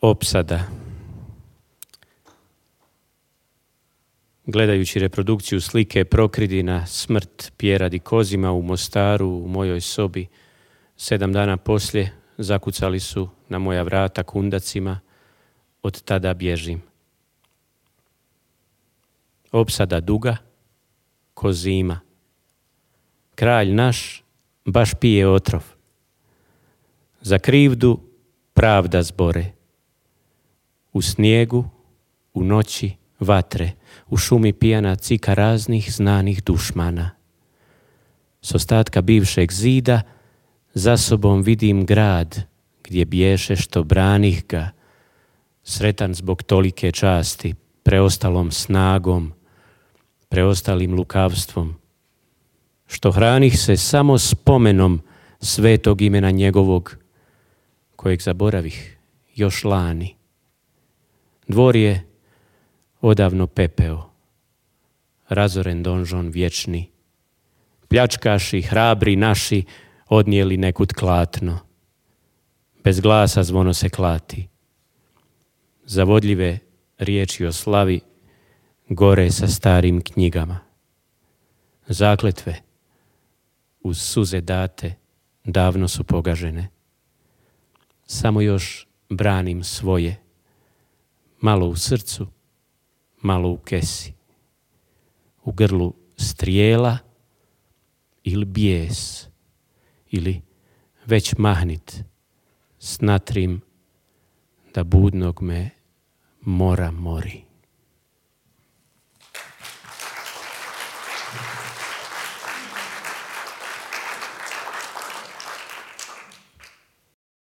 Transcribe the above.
Opsada. Gledajući reprodukciju slike Prokridina smrt Pjera di Kozima u Mostaru u mojoj sobi, 7 dana poslije zakucali su na moja vrata kundacima, od tada bježim. Opsada duga, ko zima. Kralj naš baš pije otrov. Za krivdu pravda zbore. U snijegu, u noći vatre, u šumi pijana cika raznih znanih dušmana. S ostatka bivšeg zida za sobom vidim grad gdje bješe što branih ga, sretan zbog tolike časti, preostalom snagom, preostalim lukavstvom, što hranih se samo spomenom svetog imena njegovog, kojeg zaboravih još lani. Dvor je odavno pepeo, razoren donžon vječni. Pljačkaši, hrabri naši, odnijeli nekud klatno. Bez glasa zvono se klati. Zavodljive riječi o slavi gore sa starim knjigama. Zakletve uz suze date davno su pogažene. Samo još branim svoje, malo u srcu, malo u kesi. U grlu strijela ili bijes, ili već mahnit s natrim da budnog me mora mori.